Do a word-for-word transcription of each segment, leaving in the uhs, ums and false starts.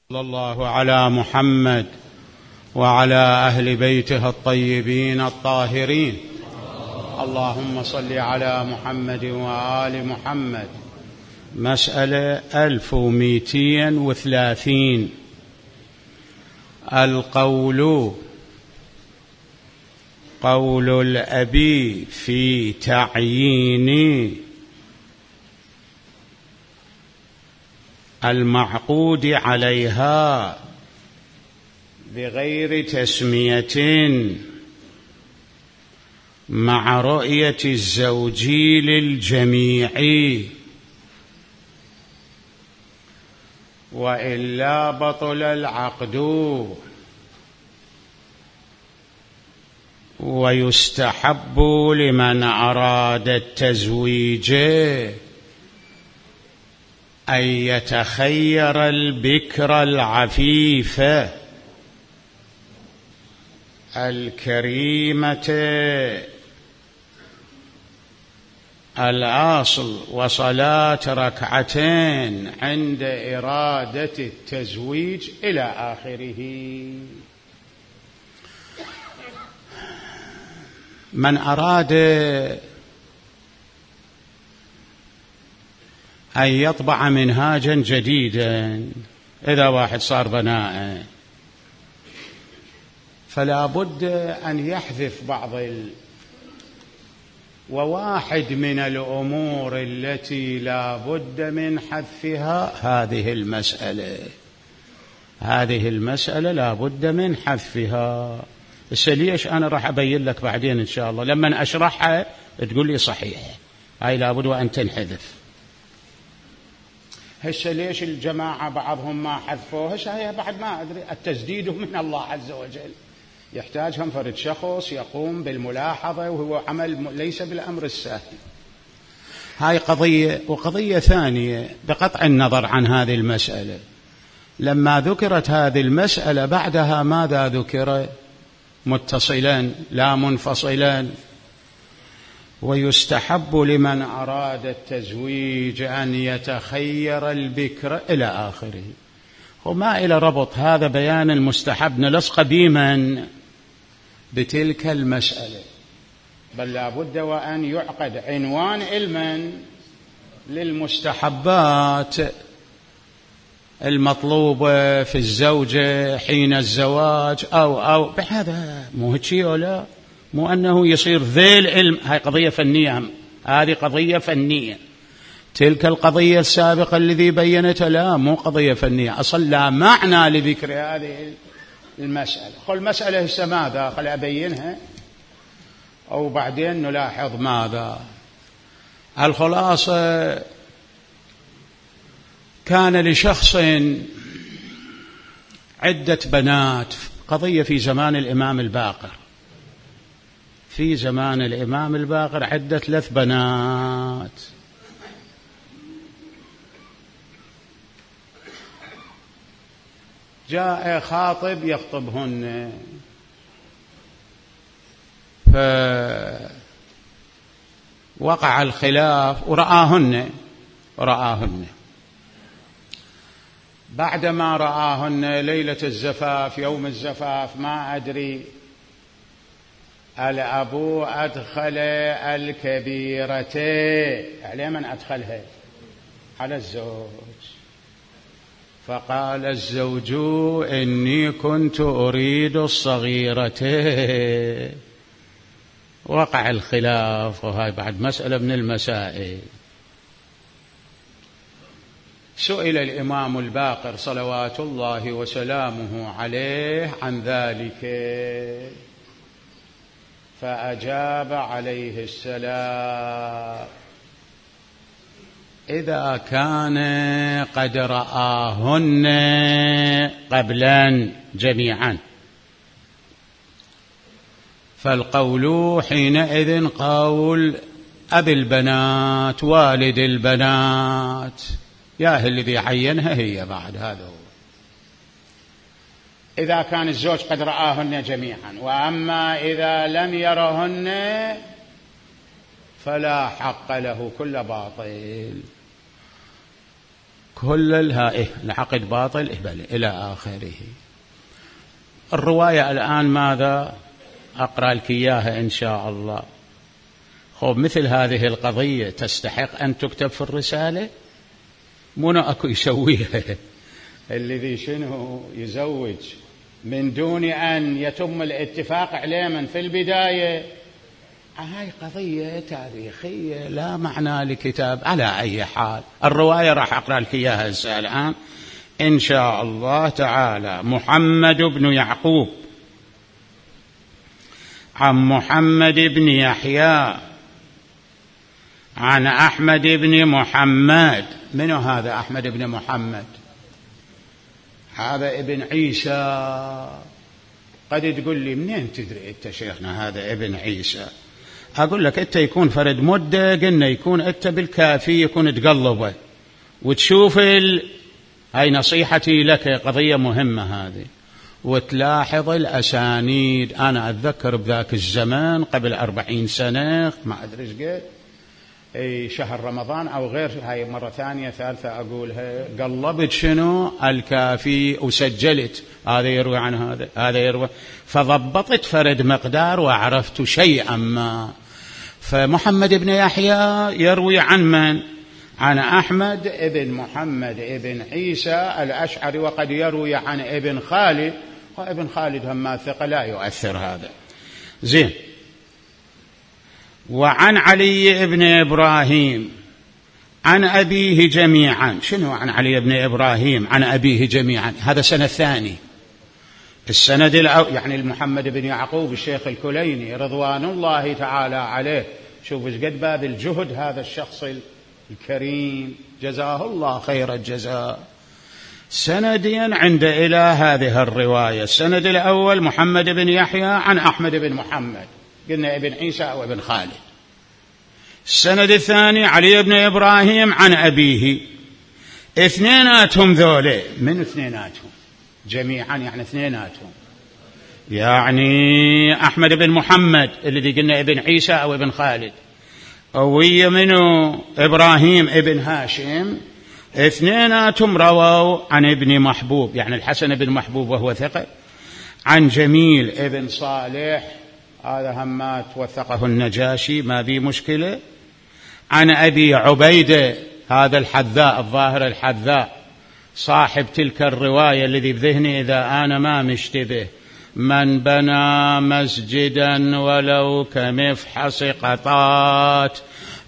صلى الله على محمد وعلى أهل بيته الطيبين الطاهرين. اللهم صل على محمد وآل محمد. مسألة ألف ومئتين وثلاثين. القول قول الأبي في تعيين المعقود عليها بغير تسمية مع رؤية الزوج للجميع، وإلا بطل العقد. ويستحب لمن أراد التزويج أن يتخير البكر العفيفة الكريمة الأصل، وصلاة ركعتين عند إرادة التزويج إلى آخره. من أراد أن يطبع منهاجا جديدا، إذا واحد صار بناء فلا بد أن يحذف بعض ال... وواحد من الأمور التي لا بد من حذفها هذه المسألة. هذه المسألة لا بد من حذفها. بس ليش؟ أنا راح أبين لك بعدين إن شاء الله لما أشرحها تقول لي صحيح، هاي لا بد وأن تنحذف. هسه ليش الجماعة بعضهم ما حذفوهش؟ هي بعد ما أدري، التسديد من الله عز وجل، يحتاجهم فرد شخص يقوم بالملاحظة، وهو عمل ليس بالأمر السهل. هاي قضية. وقضية ثانية بقطع النظر عن هذه المسألة، لما ذكرت هذه المسألة بعدها ماذا ذكر؟ متصلا لا منفصلا. ويستحب لمن أراد التزويج أن يتخير البكر إلى آخره. وما إلى ربط هذا بيان المستحب نلصق بمن بتلك المسألة، بل لا بد وأن يعقد عنوان علما للمستحبات المطلوبة في الزوجة حين الزواج أو أو بهذا. مو هيك ولا مو أنه يصير ذي العلم. هاي قضية فنية، هذه قضية فنية. تلك القضية السابقة الذي بينتها لا، مو قضية فنية أصلا، لا معنى لذكر هذه المسألة. قل مسألة هسه ماذا؟ خل أبينها أو بعدين نلاحظ ماذا. الخلاصة، كان لشخص عدة بنات، قضية في زمان الإمام الباقر. في زمان الإمام الباقر عدة ثلاث بنات. جاء خاطب يخطبهن، فوقع الخلاف ورآهن ورآهن بعدما رآهن ليلة الزفاف، يوم الزفاف، ما أدري الأبو أدخل الكبيرة على من أدخلها؟ على الزوج. فقال الزوج إني كنت أريد الصغيرة. وقع الخلاف، وهاي بعد مسألة من المسائل. سئل الإمام الباقر صلوات الله وسلامه عليه عن ذلك، فأجاب عليه السلام: إذا كان قد رآهن قبلا جميعا فالقول حينئذ قول أبي البنات والد البنات، يا الذي عينها هي بعد. هذا هو إذا كان الزوج قد رآهن جميعا. وأما إذا لم يرهن فلا حق له، كل باطل. كل الهائه العقد باطل إلى آخره. الرواية الآن ماذا أقرأ لك إياها إن شاء الله. خب مثل هذه القضية تستحق أن تكتب في الرسالة؟ منو أكو يسويها الذي شنو يزوج من دون أن يتم الاتفاق عليه من في البداية. هاي قضية تاريخية لا معنى لكتاب. على أي حال الرواية راح أقرأ لك إياها الآن إن شاء الله تعالى. محمد بن يعقوب عن محمد بن يحيى عن أحمد بن محمد. من هذا أحمد بن محمد؟ هذا ابن عيسى. قد تقول لي منين تدري أنت شيخنا هذا ابن عيسى؟ أقول لك أنت يكون فرد مدة قلنا يكون أنت بالكافي يكون تقلبه وتشوف ال... هاي نصيحتي لك، قضية مهمة هذه، وتلاحظ الأسانيد. أنا أتذكر بذاك الزمان قبل أربعين سنة ما أدري إيش قد أي شهر رمضان أو غير، هاي مرة ثانية ثالثة أقولها، قلبت شنو الكافي وسجلت هذا يروي عن هذا هذا يروي، فضبطت فرد مقدار وعرفت شيئا ما. فمحمد بن يحيى يروي عن من؟ عن أحمد ابن محمد ابن عيسى الأشعري، وقد يروي عن ابن خالد، وابن خالد هم ثقة لا يؤثر هذا. زين. وعن علي بن إبراهيم عن أبيه جميعا. شنو عن علي بن إبراهيم عن أبيه جميعا؟ هذا سنة ثاني. السند الأول يعني محمد بن يعقوب الشيخ الكليني رضوان الله تعالى عليه. شوف ايش قد باب الجهد هذا الشخص الكريم جزاه الله خير الجزاء. سنديا عند إلى هذه الرواية. السند الأول محمد بن يحيى عن أحمد بن محمد، قلنا ابن عيسى أو ابن خالد. السند الثاني علي بن إبراهيم عن أبيه. اثنيناتهم ذولي. من اثنيناتهم؟ جميعا يعني اثنيناتهم، يعني أحمد بن محمد الذي قلنا ابن عيسى أو ابن خالد، ويا منه إبراهيم ابن هاشم، اثنيناتهم رووا عن ابن محبوب يعني الحسن بن محبوب وهو ثقة، عن جميل ابن صالح هذا همات وثقه النجاشي ما بي مشكلة، عن أبي عبيدة هذا الحذاء الظاهر الحذاء صاحب تلك الرواية الذي بذهني إذا أنا ما مشتبه، من بنى مسجدا ولو كمفحص قطات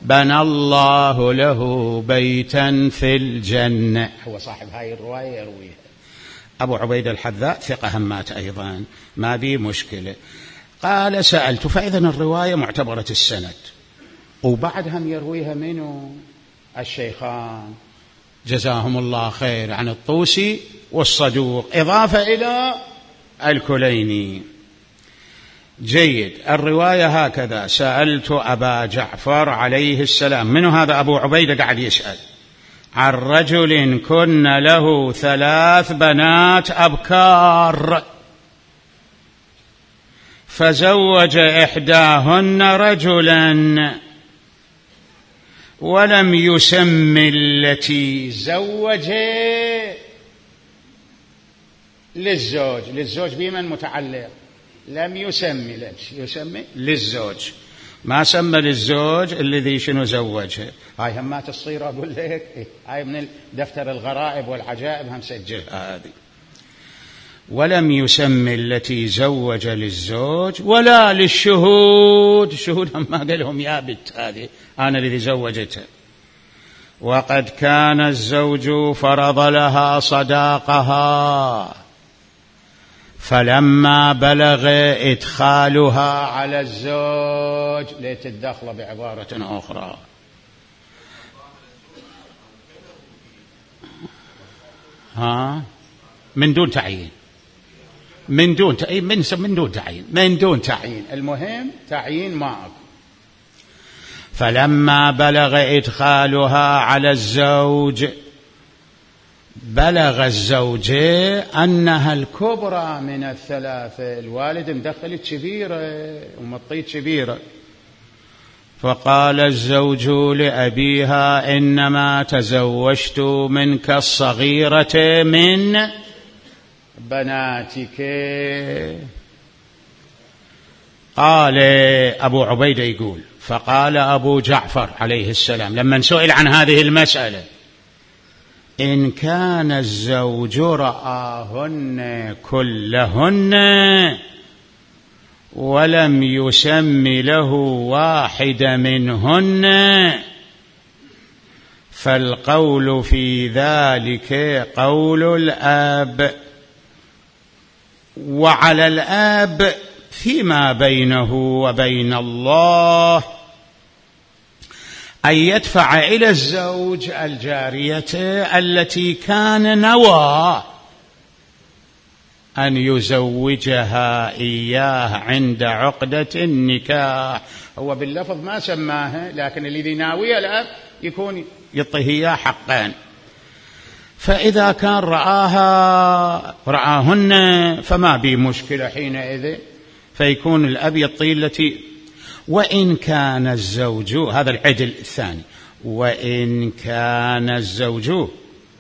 بنى الله له بيتا في الجنة. هو صاحب هاي الرواية يرويها. أبو عبيدة الحذاء ثقة همات أيضا ما بي مشكلة. قال سألت، فإذا الرواية معتبرة السند، وبعدهم يرويها منه الشيخان جزاهم الله خير عن الطوسي والصدوق إضافة إلى الكليني. جيد. الرواية هكذا: سألت أبا جعفر عليه السلام. من هذا أبو عبيدة قاعد يسأل عن رجل كن له ثلاث بنات أبكار فزوج إحداهن رجلا ولم يسم التي زوجها للزوج. للزوج بمن متعلق؟ لم يسمي لك يسمي للزوج، ما سمى للزوج الذي شنو زوجها. هاي همات تصير أقول لك هاي من دفتر الغرائب والعجائب هم سجلها هذه. ولم يسمي التي زوج للزوج ولا للشهود. الشهود هم ما قالهم يا بنت هذه أنا الذي زوجتها. وقد كان الزوج فرض لها صداقها فلما بلغ إدخالها على الزوج ليت الدخل بعبارة أخرى. ها من دون تعيين، من دون تعيين من من دون تعيين من دون تعيين المهم تعيين ما أكو. فلما بلغ إدخالها على الزوج بلغ الزوجة أنها الكبرى من الثلاثة، الوالد مدخلت كبيرة ومطيت كبيرة، فقال الزوج لأبيها: إنما تزوجت منك الصغيرة من بناتك. قال أبو عبيدة يقول: فقال أبو جعفر عليه السلام لما سئل عن هذه المسألة: إن كان الزوج رآهن كلهن ولم يسم له واحد منهن فالقول في ذلك قول الآب، وعلى الآب فيما بينه وبين الله أن يدفع إلى الزوج الجارية التي كان نوى أن يزوجها إياه عند عقدة النكاح. هو باللفظ ما سماها، لكن الذي ناوي الأب يكون يعطيه إياه حقان. فإذا كان رآها رآهن فما بي مشكلة حينئذ، فيكون الأب يعطي التي. وإن كان الزوج، هذا العدل الثاني، وإن كان الزوج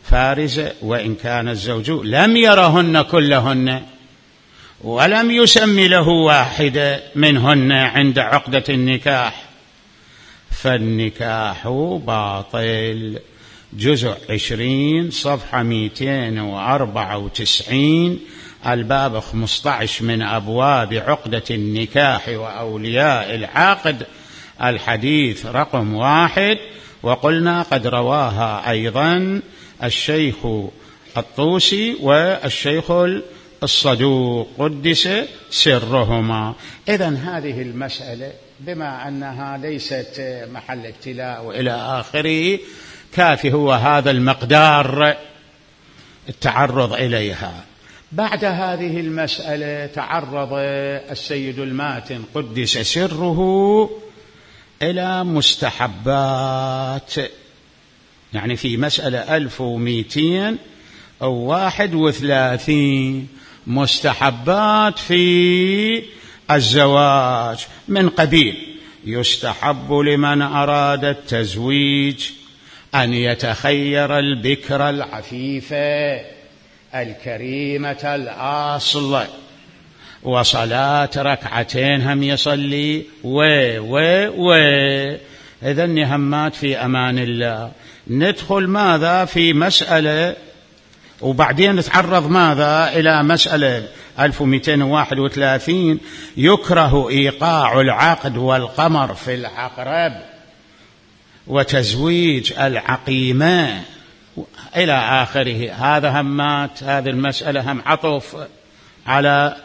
فارزة، وإن كان الزوج لم يرهن كلهن ولم يسم له واحدة منهن عند عقدة النكاح فالنكاح باطل. جزء عشرين صفحة مئتين وأربعة وتسعين، الباب خمسة عشر من أبواب عقدة النكاح وأولياء العقد، الحديث رقم واحد. وقلنا قد رواها أيضا الشيخ الطوسي والشيخ الصدوق قدس سرهما. إذن هذه المسألة بما أنها ليست محل ابتلاء وإلى آخره، كافي هو هذا المقدار التعرض إليها. بعد هذه المسألة تعرض السيد الماتن قدس سره إلى مستحبات، يعني في مسألة ألف ومئتين أو واحد وثلاثين مستحبات في الزواج، من قبيل: يستحب لمن أراد التزويج أن يتخير البكر العفيفة الكريمة الأصل، وصلاة ركعتين هم يصلي و و و إذن همات في أمان الله. ندخل ماذا في مسألة، وبعدين نتعرض ماذا إلى مسألة ألف ومئتين وواحد وثلاثين: يكره إيقاع العقد والقمر في العقرب وتزويج العقيمة إلى آخره. هذا همات هذه المسألة هم عطف على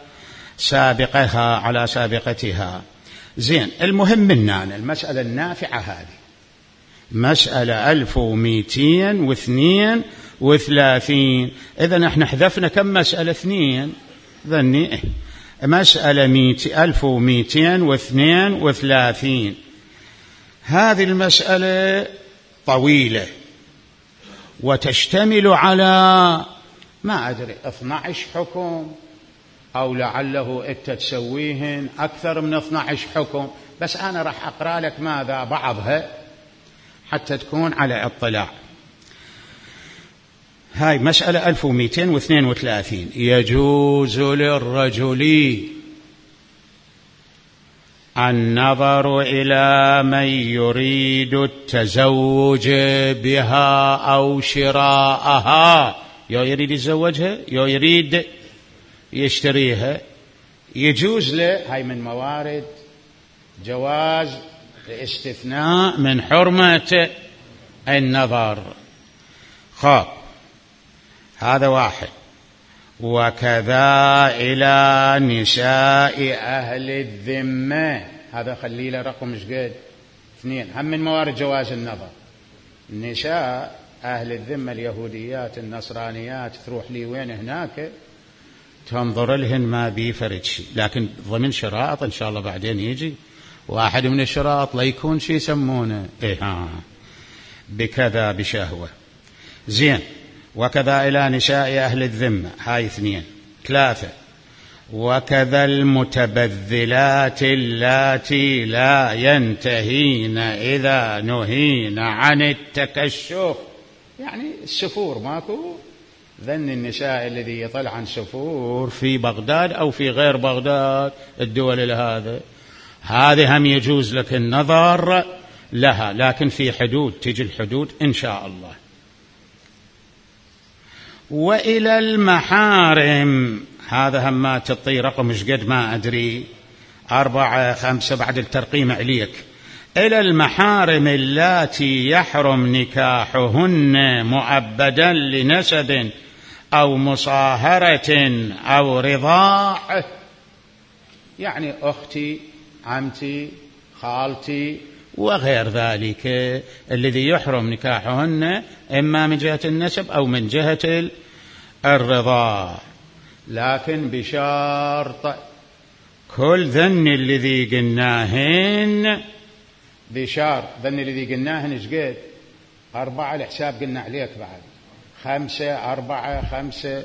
سابقها على سابقتها. زين، المهم منا المسألة النافعة هذه مسألة ألف ومئتين واثنين وثلاثين. إذن احنا حذفنا كم مسألة؟ اثنين. ذني مسألة ألف ومئتين واثنين وثلاثين. هذه المسألة طويلة وتشتمل على ما أدري اثني عشر حكم، أو لعله أنت تسويهن أكثر من اثني عشر حكم، بس أنا راح أقرأ لك ماذا بعضها حتى تكون على اطلاع. هاي مسألة ألف ومئتين واثنين وثلاثين: يجوز للرجل النظر إلى من يريد التزوج بها أو شراءها. يو يريد يتزوجها، يو يريد يشتريها، يجوز له. هاي من موارد جواز الاستثناء من حرمة النظر. خاب، هذا واحد. وكذا إلى نساء أهل الذمة، هذا خلي له رقم مش قد اثنين، هم من موارد جواز النظر. نساء أهل الذمة اليهوديات النصرانيات تروح لي وين هناك تنظر لهن ما بيفرد شيء، لكن ضمن شرائط إن شاء الله بعدين يجي واحد من الشرائط لا يكون شيء يسمونه إيه ها بكذا بشهوة. زين، وكذا إلى نساء أهل الذمة، هاي اثنين. ثلاثة: وكذا المتبذلات اللاتي لا ينتهين إذا نهين عن التكشف. يعني السفور ماكو، ذن النساء الذي يطلع عن سفور في بغداد أو في غير بغداد الدول هذا، هذه هم يجوز لك النظر لها، لكن في حدود، تجي الحدود إن شاء الله. وإلى المحارم، هذا هم ما تطي رقم مش قد ما أدري، أربعة خمسة بعد الترقيم عليك. إلى المحارم اللاتي يحرم نكاحهن مؤبدا لنسب أو مصاهرة أو رضاع، يعني أختي، عمتي، خالتي وغير ذلك، الذي يحرم نكاحهن إما من جهة النسب أو من جهة الرضاع، لكن بشرط كل ذن الذي قلناهن، بشرط ذن الذي قلناهن ايش قد؟ أربعة، الحساب قلنا عليك بعد خمسة، أربعة خمسة،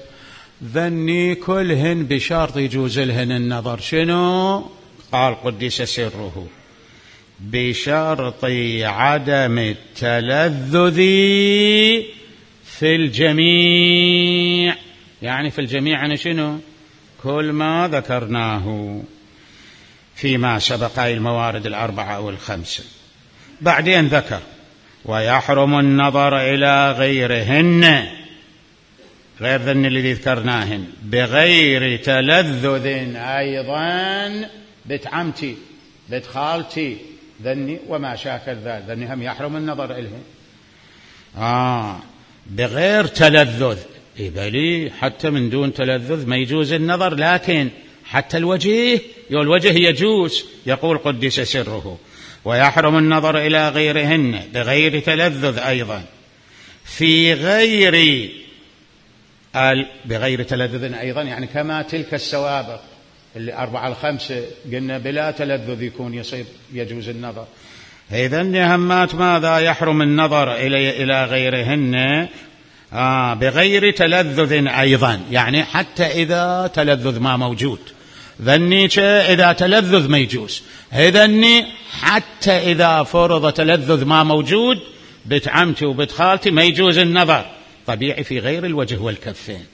ذني كلهن بشرط يجوز لهن النظر. شنو؟ قال قدس سره بشرط عدم التلذذ في الجميع. يعني في الجميع يعني شنو؟ كل ما ذكرناه فيما سبق، أي الموارد الأربعة أو الخمسة. بعدين ذكر ويحرم النظر إلى غيرهن، غير ذن الذي ذكرناهن، بغير تلذذ أيضا، بنت عمتي، بنت خالتي، ذني وما شاكل ذلك، ذني هم يحرم النظر إليهن. آه بغير تلذذ، إبلي حتى من دون تلذذ ما يجوز النظر، لكن حتى الوجه، يو الوجه يجوز. يقول قدس سره ويحرم النظر إلى غيرهن بغير تلذذ أيضا في غير بغير تلذذ أيضا، يعني كما تلك السوابق اللي أربعة الخمسة قلنا بلا تلذذ يكون يصير يجوز النظر. إذا همات ماذا؟ يحرم النظر إلى إلى غيرهن آه بغير تلذذ أيضا، يعني حتى إذا تلذذ ما موجود، ذني إذا تلذذ ما يجوز، إذني حتى إذا فرض تلذذ ما موجود، بنت عمتي وبنت خالتي ما يجوز النظر، طبيعي في غير الوجه والكفين.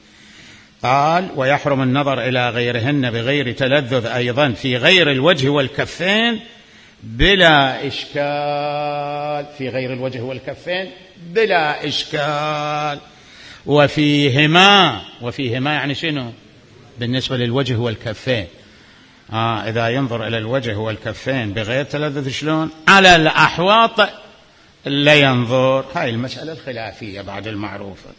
قال ويحرم النظر إلى غيرهن بغير تلذذ أيضا في غير الوجه والكفين بلا إشكال، في غير الوجه والكفين بلا إشكال. وفيهما، وفيهما يعني شنو؟ بالنسبة للوجه والكفين، آه إذا ينظر إلى الوجه والكفين بغير تلذذ شلون؟ على الأحواط لا ينظر. هاي المسألة الخلافية بعد المعروفة.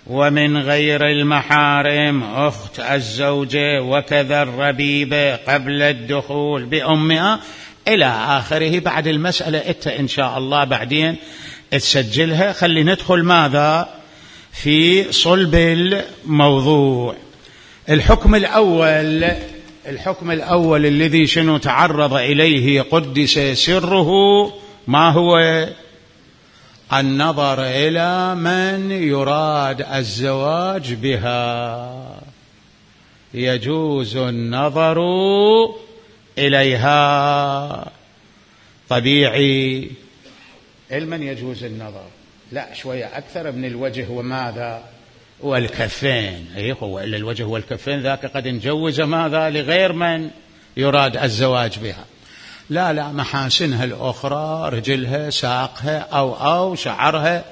ومن غير المحارم أخت الزوجة وكذا الربيبة قبل الدخول بأمها إلى آخره. بعد المسألة إنت إن شاء الله بعدين تسجلها. خلي ندخل ماذا في صلب الموضوع. الحكم الأول، الحكم الأول الذي شنو تعرض إليه قدس سره، ما هو؟ النظر إلى من يراد الزواج بها، يجوز النظر إليها طبيعي. المن يجوز النظر؟ لا شوية أكثر من الوجه وماذا؟ والكفين. أيه هو إلا الوجه والكفين ذاك قد نجوز ماذا لغير من يراد الزواج بها. لا لا محاسنها الأخرى، رجلها، ساقها، أو أو شعرها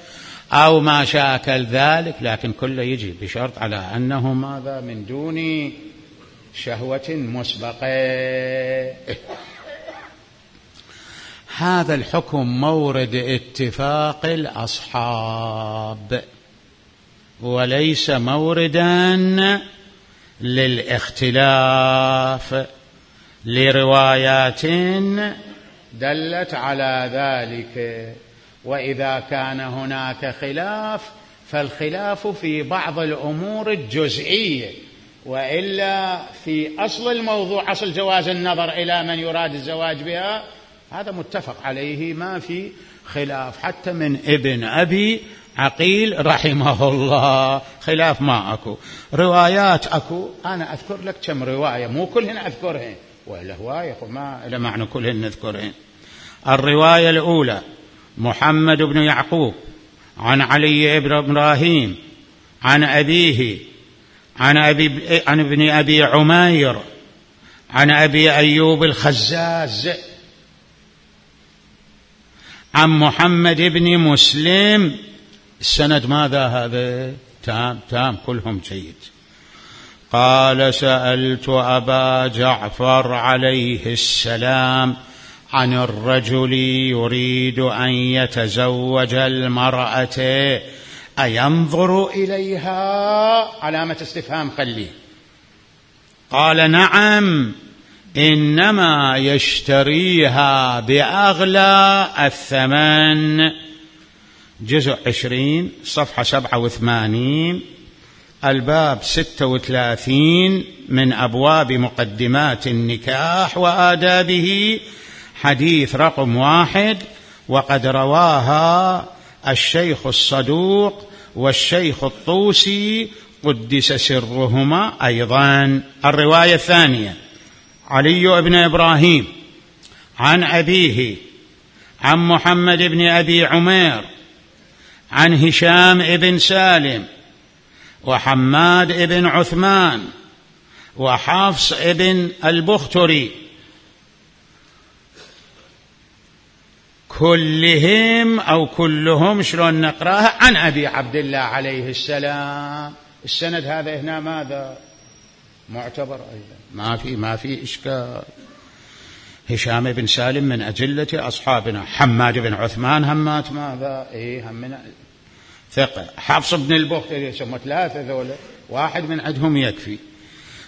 أو ما شاكل ذلك، لكن كله يجي بشرط على أنه ماذا؟ من دون شهوة مسبقة. هذا الحكم مورد اتفاق الأصحاب وليس موردا للاختلاف، لروايات دلت على ذلك. وإذا كان هناك خلاف فالخلاف في بعض الأمور الجزئية، وإلا في أصل الموضوع، أصل جواز النظر إلى من يراد الزواج بها، هذا متفق عليه ما في خلاف، حتى من ابن أبي عقيل رحمه الله. خلاف ما أكو، روايات أكو. أنا أذكر لك كم رواية، مو كلهن أذكرهن، وإلا هواية ما إلى معنى كلهن نذكرهن. الرواية الأولى محمد بن يعقوب عن علي بن إبراهيم عن أبيه عن أبي عن ابن أبي عمير عن أبي أيوب الخزاز عن محمد بن مسلم. السند ماذا هذا؟ تام تام كلهم جيد. قال سألت أبا جعفر عليه السلام عن الرجل يريد أن يتزوج المرأة أينظر إليها؟ علامة استفهام خليه. قال نعم، إنما يشتريها بأغلى الثمن. جزء عشرين صفحة سبعة وثمانين، الباب ستة وثلاثين من أبواب مقدمات النكاح وآدابه، حديث رقم واحد. وقد رواها الشيخ الصدوق والشيخ الطوسي قدس سرهما أيضا. الرواية الثانية علي بن إبراهيم عن أبيه عن محمد بن أبي عمير عن هشام بن سالم وحماد بن عثمان وحفص بن البختري، كلهم أو كلهم شلون نقراها عن أبي عبد الله عليه السلام. السند هذا هنا ماذا؟ معتبر أيضا، ما في ما في إشكال. هشام بن سالم من أجلة أصحابنا، حماد بن عثمان همات ماذا؟ إيه همنا ثقة. حفص بن البختري يسمى ثلاثة ذولا، واحد من عندهم يكفي.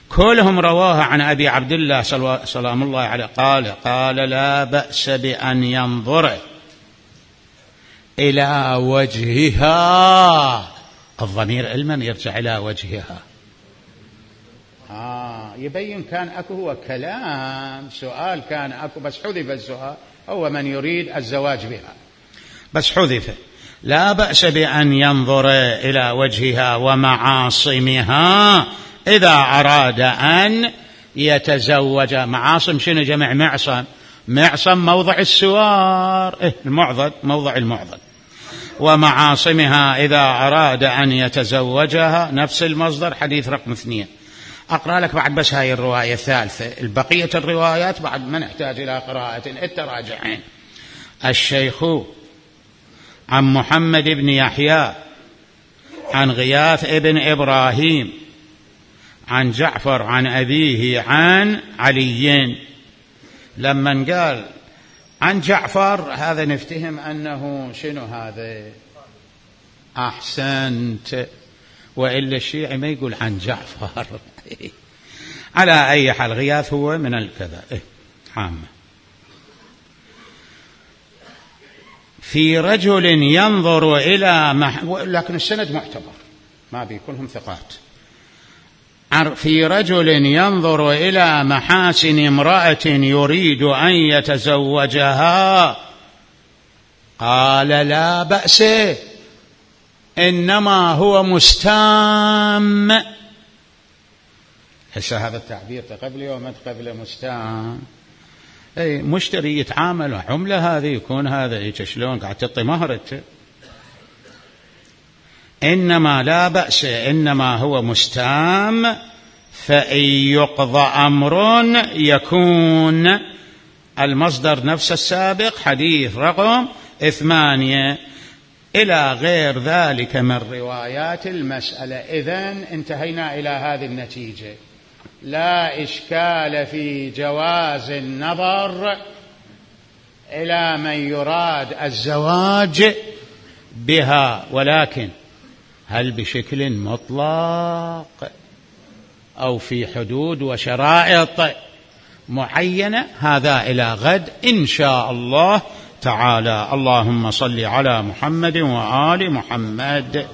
كلهم رواها عن أبي عبد الله سلام الله عليه. قال قال لا بأس بأن ينظر إلى وجهها. الضمير علما يرجع إلى وجهها. آه يبين كان أكو هو كلام، سؤال كان أكو بس حذف السؤال، هو من يريد الزواج بها بس حذف. لا بأس بأن ينظر إلى وجهها ومعاصمها إذا أراد أن يتزوج. معاصم شنو؟ جمع معصم. معصم موضع السوار، إيه المعضد، موضع المعضد. ومعاصمها إذا أراد أن يتزوجها، نفس المصدر، حديث رقم اثنين. أقرأ لك بعد بس هاي الرواية الثالثة. البقية الروايات بعد ما نحتاج إلى قراءة التراجعين. الشيخ عن محمد بن يحيى عن غياث ابن إبراهيم عن جعفر عن أبيه عن علي. لما قال عن جعفر هذا نفتهم أنه شنو هذا؟ أحسنت، وإلا الشيعي ما يقول عن جعفر. على أي حال غياث هو من الكذا إيه عامة. في رجل ينظر إلى مح... لكن السند معتبر، ما بيكونهم ثقات. في رجل ينظر إلى محاسن امرأة يريد أن يتزوجها. قال لا بأس، إنما هو مستام. هسه هذا التعبير تقبل وما تقبل مستام. أي مشتري يتعامل عملة، هذه يكون هذا إيش شلون قاعد تعطي مهرته. إنما لا بأس، إنما هو مستام. فإن يقضى أمر يكون. المصدر نفس السابق، حديث رقم ثمانية، إلى غير ذلك من روايات المسألة. إذن انتهينا إلى هذه النتيجة. لا إشكال في جواز النظر إلى من يراد الزواج بها، ولكن هل بشكل مطلق أو في حدود وشرائط معينة؟ هذا إلى غد إن شاء الله تعالى. اللهم صل على محمد وآل محمد.